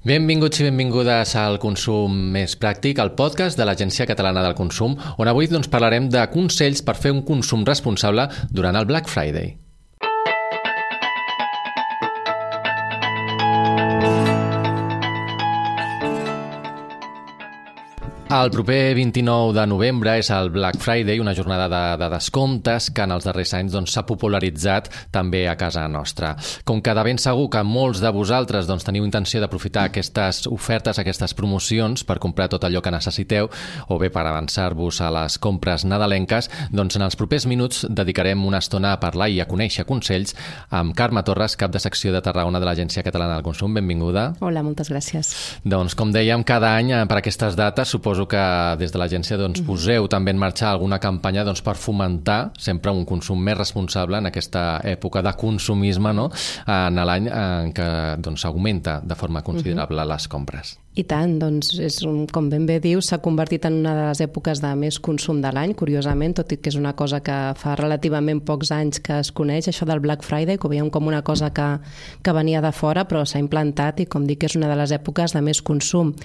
Benvinguts i benvingudes al Consum Més Pràctic, el podcast de l'Agència Catalana del Consum, on avui parlarem de consells per fer un consum responsable durant el Black Friday. El proper 29 de novembre és el Black Friday, una jornada de descomptes que en els darrers anys s'ha popularitzat també a casa nostra. Com que de ben segur que molts de vosaltres teniu intenció d'aprofitar aquestes ofertes, aquestes promocions per comprar tot allò que necessiteu o bé per avançar-vos a les compres nadalenques, en els propers minuts dedicarem una estona a parlar i a conèixer consells amb Carme Torres, cap de secció de Tarragona de l'Agència Catalana del Consum. Benvinguda. Hola, moltes gràcies. Com dèiem, cada any per aquestes dates suposo que des de l'agència poseu també en marxa alguna campanya per fomentar sempre un consum més responsable en aquesta època de consumisme, no? En l'any en què augmenta de forma considerable les compres. I tant, com ben bé dius, s'ha convertit en una de les èpoques de més consum de l'any, curiosament, tot i que és una cosa que fa relativament pocs anys que es coneix, això del Black Friday, que ho veiem com una cosa que venia de fora, però s'ha implantat i, com dic, és una de les èpoques de més consum.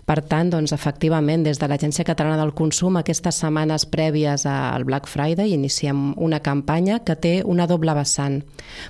Per tant, efectivament, des de l'Agència Catalana del Consum, aquestes setmanes prèvies al Black Friday, iniciem una campanya que té una doble vessant.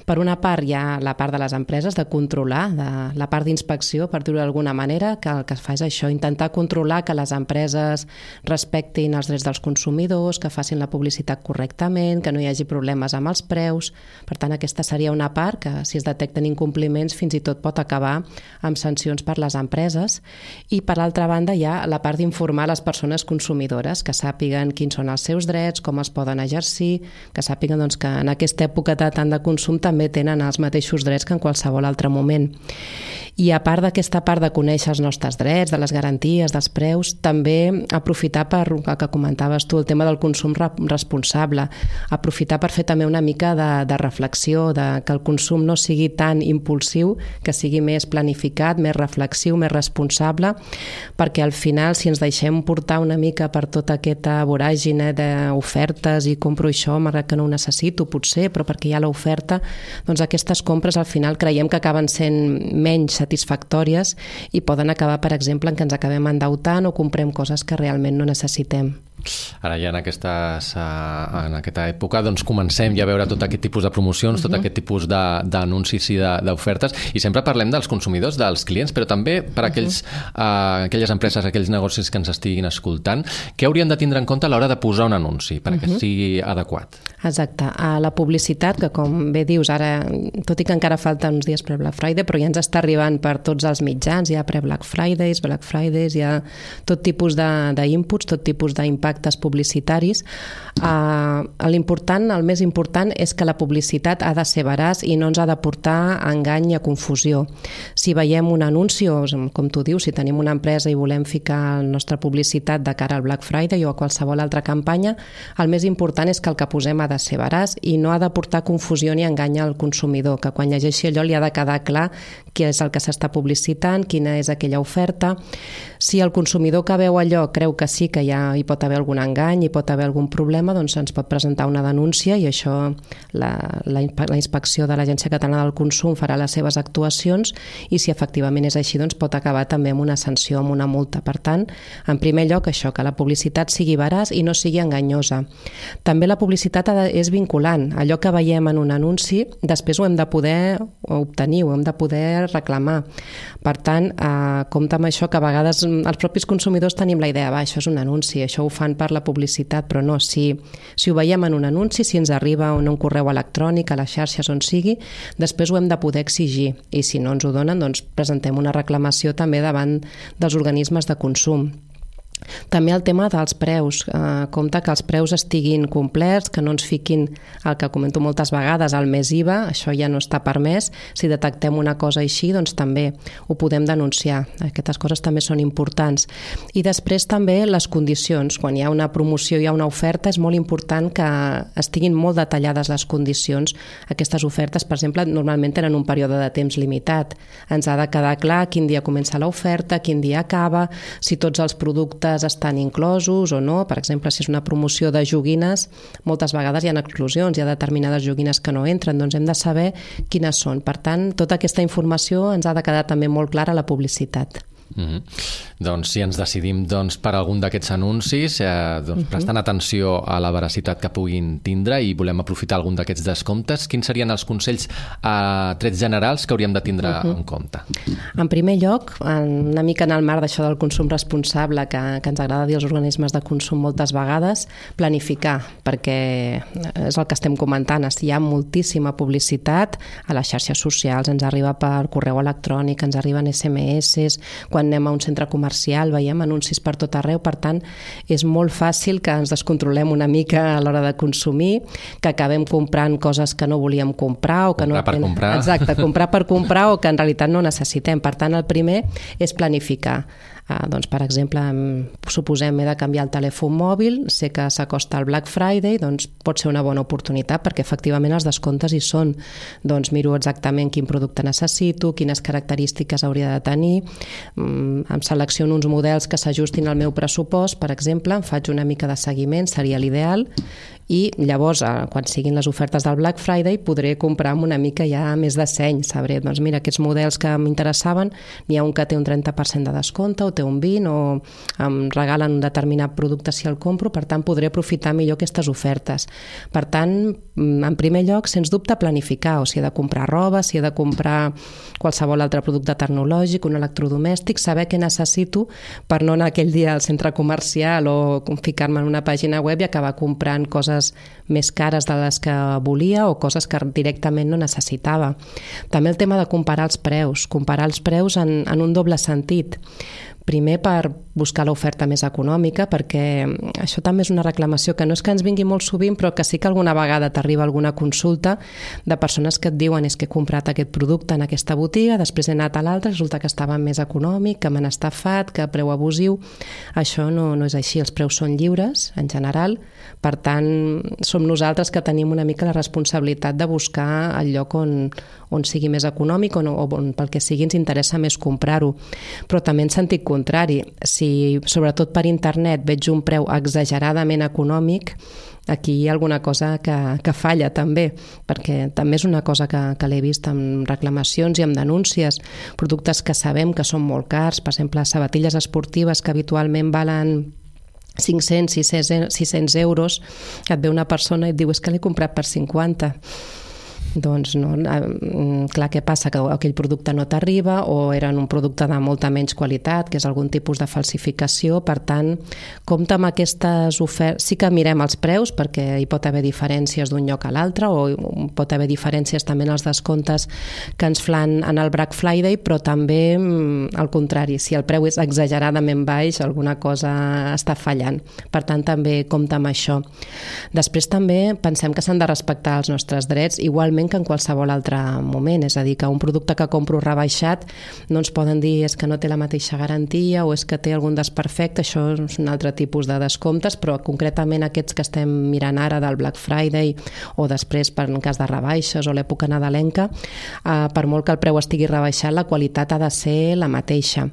Per una part, hi ha la part de les empreses de controlar, la part d'inspecció, per dir-ho d'alguna manera, que el que es fa és això, intentar controlar que les empreses respectin els drets dels consumidors, que facin la publicitat correctament, que no hi hagi problemes amb els preus. Per tant, aquesta seria una part que, si es detecten incompliments, fins i tot pot acabar amb sancions per les empreses. I, per altra banda, hi ha la part d'informar les persones consumidores, que sàpiguen quins són els seus drets, com els poden exercir, que sàpiguen que en aquesta època tant de consum també tenen els mateixos drets que en qualsevol altre moment. I a part d'aquesta part de conèixer els nostres drets, de les garanties, dels preus, també aprofitar per, el que comentaves tu, el tema del consum responsable, aprofitar per fer també una mica de reflexió, que el consum no sigui tan impulsiu, que sigui més planificat, més reflexiu, més responsable, perquè al final, si ens deixem portar una mica per tota aquesta voràgine d'ofertes i compro això, malgrat que no ho necessito, potser, però perquè hi ha l'oferta, aquestes compres al final creiem que acaben sent menys satisfactòries i poden acabar, per exemple, en que ens acabem endeutant o comprem coses que realment no necessitem. Ara ja en aquesta època comencem ja a veure tot aquest tipus de promocions, tot aquest tipus d'anuncis i d'ofertes, i sempre parlem dels consumidors, dels clients, però també per aquelles empreses, aquells negocis que ens estiguin escoltant, què haurien de tindre en compte a l'hora de posar un anunci perquè sigui adequat? Exacte. La publicitat, que com bé dius, ara, tot i que encara falta uns dies pre-Black Friday, però ja ens està arribant per tots els mitjans, hi ha pre-Black Fridays, Black Fridays, hi ha tot tipus d'inputs, tot tipus d'impactes publicitaris. El més important és que la publicitat ha de ser veraç i no ens ha de portar a engany i a confusió. Si veiem un anunci, o com tu dius, si tenim una empresa i volem ficar la nostra publicitat de cara al Black Friday o a qualsevol altra campanya, el més important és que el que posem ha de ser veraç i no ha de portar confusió ni engany al consumidor, que quan llegeixi allò li ha de quedar clar què és el que s'està publicitant, quina és aquella oferta. Si el consumidor que veu allò creu que sí que hi pot haver algun engany, hi pot haver algun problema, ens pot presentar una denúncia i això la inspecció de l'Agència Catalana del Consum farà les seves actuacions i si efectivament és així pot acabar també amb una sanció, amb una multa. Per tant, en primer lloc això, que la publicitat sigui veraç i no sigui enganyosa. També la publicitat és vinculant. Allò que veiem en un anunci, després ho hem de poder obtenir, ho hem de poder reclamar. Per tant, compte amb això, que a vegades els propis consumidors tenim la idea, això és un anunci, això ho fan per la publicitat, però no, si ho veiem en un anunci, si ens arriba en un correu electrònic, a les xarxes on sigui, després ho hem de poder exigir i si no ens ho donen, presentem una reclamació també davant dels organismes de consum. També el tema dels preus, compte que els preus estiguin complerts, que no ens fiquin el que comento moltes vegades, el més IVA, això ja no està permès. Si detectem una cosa així, també ho podem denunciar. Aquestes coses també són importants. I després també les condicions. Quan hi ha una promoció, hi ha una oferta, és molt important que estiguin molt detallades les condicions. Aquestes ofertes, per exemple, normalment tenen un període de temps limitat. Ens ha de quedar clar quin dia comença l'oferta, quin dia acaba, si tots els productes productes estan inclosos o no. Per exemple, si és una promoció de joguines, moltes vegades hi ha exclusions, hi ha determinades joguines que no entren, doncs hem de saber quines són. Per tant, tota aquesta informació ens ha de quedar també molt clara a la publicitat. Doncs si ens decidim per algun d'aquests anuncis, prestant atenció a la veracitat que puguin tindre i volem aprofitar algun d'aquests descomptes, quins serien els consells a trets generals que hauríem de tindre en compte? En primer lloc, una mica en el marc d'això del consum responsable que ens agrada dir als organismes de consum moltes vegades, planificar, perquè és el que estem comentant, hi ha moltíssima publicitat a les xarxes socials, ens arriba per correu electrònic, ens arriben SMS, quan anem a un centre comercial veiem anuncis per tot arreu, per tant és molt fàcil que ens descontrolem una mica a l'hora de consumir, que acabem comprant coses que no volíem comprar o que comprar per comprar. Exacte, comprar per comprar o que en realitat no necessitem. Per tant, el primer és planificar. Doncs, per exemple, suposem he de canviar el telèfon mòbil, sé que s'acosta el Black Friday, doncs pot ser una bona oportunitat perquè efectivament els descomptes hi són. Doncs miro exactament quin producte necessito, quines característiques hauria de tenir, em selecciono uns models que s'ajustin al meu pressupost, per exemple, em faig una mica de seguiment, seria l'ideal, i llavors, quan siguin les ofertes del Black Friday, podré comprar amb una mica ja més de seny. Sabré, doncs mira, aquests models que m'interessaven, n'hi ha un que té un 30% de descompte, o té un 20%, o em regalen un determinat producte si el compro, per tant podré aprofitar millor aquestes ofertes. Per tant, en primer lloc, sens dubte, planificar, o si he de comprar roba, si he de comprar qualsevol altre producte tecnològic, un electrodomèstic, saber què necessito per no anar aquell dia al centre comercial o ficar-me en una pàgina web i acabar comprant coses més cares de les que volia o coses que directament no necessitava. També el tema de comparar els preus en un doble sentit. Primer, per buscar l'oferta més econòmica, perquè això també és una reclamació que no és que ens vingui molt sovint, però que sí que alguna vegada t'arriba alguna consulta de persones que et diuen és que he comprat aquest producte en aquesta botiga, després he anat a l'altra, resulta que estava més econòmic, que m'han estafat, que preu abusiu. Això no és així, els preus són lliures, en general, per tant, som nosaltres que tenim una mica la responsabilitat de buscar el lloc on sigui més econòmic o on pel que sigui ens interessa més comprar-ho. Però també en sentit contrari, si sobretot per internet veig un preu exageradament econòmic, aquí hi ha alguna cosa que falla també, perquè també és una cosa que l'he vist amb reclamacions i amb denúncies, productes que sabem que són molt cars, per exemple, sabatilles esportives que habitualment valen 500, 600 euros, et ve una persona i et diu és que l'he comprat per 50. Doncs no, clar, què passa? Que aquell producte no t'arriba o era un producte de molta menys qualitat, que és algun tipus de falsificació. Per tant, compte amb aquestes ofertes. Sí que mirem els preus perquè hi pot haver diferències d'un lloc a l'altre o pot haver diferències també en els descomptes que ens fan en el Black Friday, però també al contrari, si el preu és exageradament baix, alguna cosa està fallant. Per tant, també compte amb això. Després també pensem que s'han de respectar els nostres drets, igualment que en qualsevol altre moment, és a dir, que un producte que compro rebaixat no ens poden dir és que no té la mateixa garantia o és que té algun desperfecte, això és un altre tipus de descomptes, però concretament aquests que estem mirant ara del Black Friday o després per en cas de rebaixes o l'època nadalenca, per molt que el preu estigui rebaixat, la qualitat ha de ser la mateixa.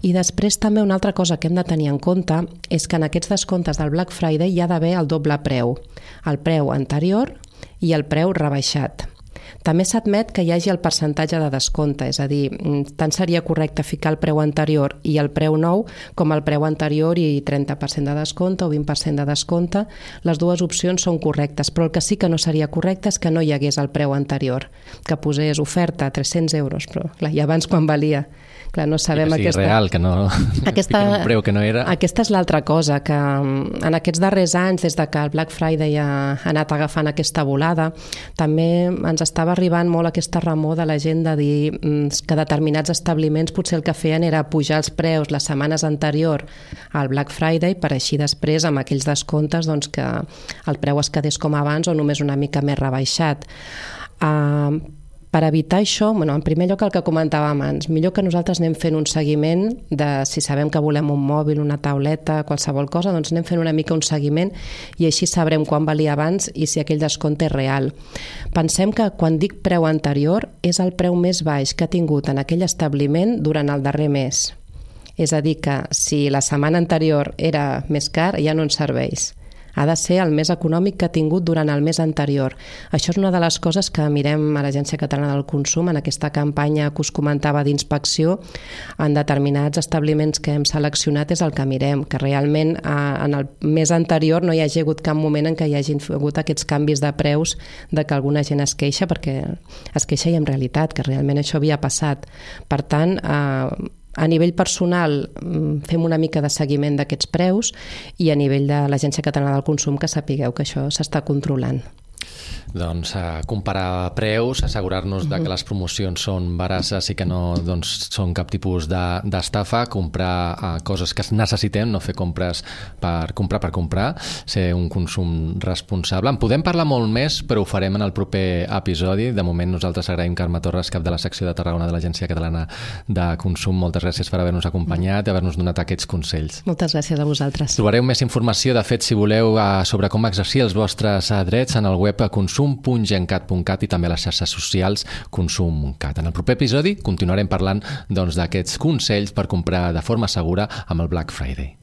I després també una altra cosa que hem de tenir en compte és que en aquests descomptes del Black Friday hi ha d'haver el doble preu, el preu anterior i el preu rebaixat. També s'admet que hi hagi el percentatge de descompte, és a dir, tant seria correcte ficar el preu anterior i el preu nou com el preu anterior i 30% de descompte o 20% de descompte. Les dues opcions són correctes, però el que sí que no seria correcte és que no hi hagués el preu anterior, que posés oferta a 300 euros, però clar, i abans quan valia? Clar, no sabem que sigui aquesta... real, que no un preu que no era. Aquesta és l'altra cosa, que en aquests darrers anys, des de que el Black Friday ha anat agafant aquesta volada, també ens estava arribant molt aquesta remor de la gent de dir que determinats establiments potser el que feien era pujar els preus les setmanes anterior al Black Friday per així després amb aquells descomptes doncs, que el preu es quedés com abans o només una mica més rebaixat. Per evitar això, en primer lloc el que comentàvem abans, millor que nosaltres anem fent un seguiment de si sabem que volem un mòbil, una tauleta, qualsevol cosa, doncs anem fent una mica un seguiment i així sabrem quan valia abans i si aquell descompte és real. Pensem que quan dic preu anterior és el preu més baix que ha tingut en aquell establiment durant el darrer mes. És a dir, que si la setmana anterior era més car, ja no ens serveix. Ha de ser el més econòmic que ha tingut durant el mes anterior. Això és una de les coses que mirem a l'Agència Catalana del Consum en aquesta campanya que us comentava d'inspecció. En determinats establiments que hem seleccionat és el que mirem, que realment en el mes anterior no hi hagi hagut cap moment en què hi hagin hagut aquests canvis de preus de que alguna gent es queixa, perquè es queixa i en realitat que realment això havia passat. Per tant, a nivell personal fem una mica de seguiment d'aquests preus i a nivell de l'Agència Catalana del Consum que sapigueu que això s'està controlant. Doncs comparar preus, assegurar-nos de que les promocions són veraces i que no són cap tipus d'estafa, comprar coses que necessitem, no fer compres per comprar, ser un consum responsable. En podem parlar molt més, però ho farem en el proper episodi. De moment nosaltres agraïm Carme Torres, cap de la secció de Tarragona de l'Agència Catalana de Consum. Moltes gràcies per haver-nos acompanyat i haver-nos donat aquests consells. Moltes gràcies a vosaltres. Trobareu més informació, de fet, si voleu, sobre com exercir els vostres drets en el web consum.gencat.cat i també a les xarxes socials consum.cat. En el proper episodi continuarem parlant d'aquests consells per comprar de forma segura amb el Black Friday.